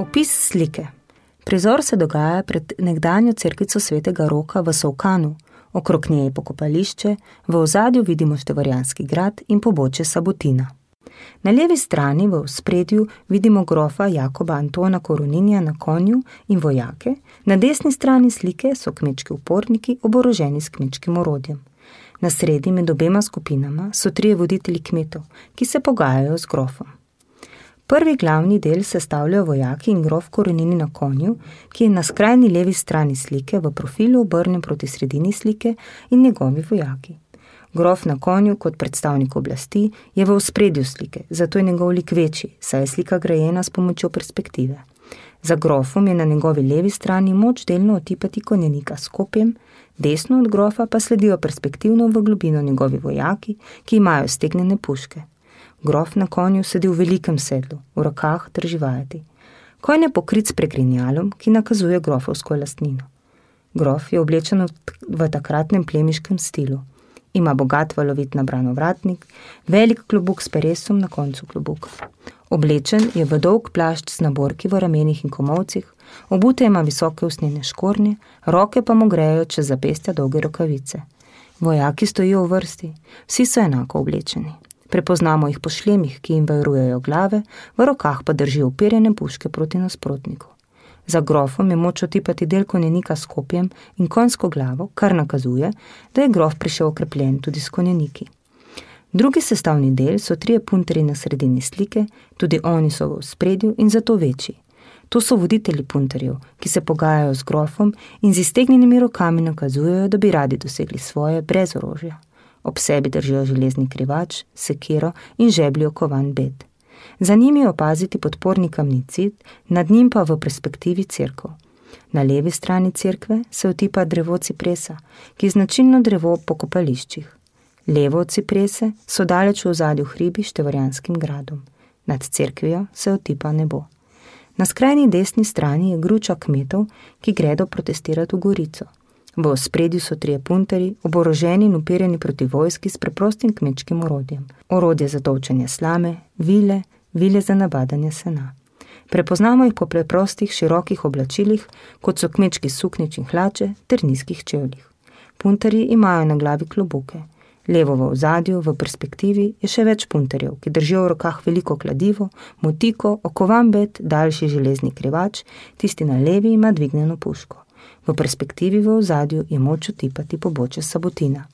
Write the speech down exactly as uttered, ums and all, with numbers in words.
Opis slike. Prizor se dogaja pred nekdanjo cerkvico svetega Roka v Solkanu, okrog nje je pokopališče, v ozadju vidimo Števarjanski grad in pobočje Sabotina. Na levi strani v ospredju vidimo grofa Jakoba Antona Koroninja na konju in vojake, na desni strani slike so kmečki uporniki oboroženi s kmečkim orodjem. Na sredi med obema skupinama so trije voditelji kmetov, ki se pogajajo z grofom. Prvi glavni del sestavljajo vojaki in grof Koronini na konju, ki je na skrajni levi strani slike v profilu obrnjen proti sredini slike in njegovi vojaki. Grof na konju kot predstavnik oblasti je v ospredju slike, zato je njegov lik večji, saj je slika grajena s pomočjo perspektive. Za grofom je na njegovi levi strani moč delno otipati konjenika s kopjem, desno od grofa pa sledijo perspektivno v globino njegovi vojaki, ki imajo stegnjene puške. Grof na konju sedi v velikem sedlu, v rokah drži vajeti. Konj je pokrit s pregrinjalom, ki nakazuje grofovsko lastnino. Grof je oblečen v takratnem plemiškem stilu. Ima bogat valovit nabran ovratnik, velik klobuk s peresom na koncu klobuka. Oblečen je v dolg plašč z naborki v ramenih in komolcih, obute ima visoke usnjene škornje, roke pa mu grejo čez zapestja dolge rokavice. Vojaki stojijo v vrsti, vsi so enako oblečeni. Prepoznamo jih po šlemih, ki jim varujejo glave, v rokah pa držijo uperjene puške proti nasprotniku. Za grofom je moč otipati del konjenika s kopjem in konjsko glavo, kar nakazuje, da je grof prišel okrepljen tudi s konjeniki. Drugi sestavni del so trije punterji na sredini slike, tudi oni so v ospredju in zato večji. To so voditelji punterjev, ki se pogajajo z grofom in z iztegnjenimi rokami nakazujejo, da bi radi dosegli svoje brez orožja. Ob sebi držijo železni krivač, sekiro in žebljo kovan bed. Za njimi opaziti podporni kamni cid, nad njim pa v perspektivi cerkev. Na levi strani cerkve se otipa drevo cipresa, ki je značilno drevo po kopališčih. Levo od ciprese so daleč v ozadju hribi Števarjanskim gradom. Nad cerkvijo se otipa nebo. Na skrajni desni strani je gruča kmetov, ki gredo protestirati v Gorico. V ospredju so trije punterji, oboroženi in uperjeni proti vojski s preprostim kmečkim orodjem. Orodje za tolčenje slame, vile, vile za nabadanje sena. Prepoznamo jih po preprostih, širokih oblačilih, kot so kmečki suknič in hlače ter nizkih čevljih. Punterji imajo na glavi klobuke. Levo v ozadju, v perspektivi, je še več punterjev, ki držijo v rokah veliko kladivo, motiko, okovan bed, daljši železni krivač, tisti na levi ima dvignjeno puško. V perspektivi v ozadju je moč otipati pobočje Sabotina.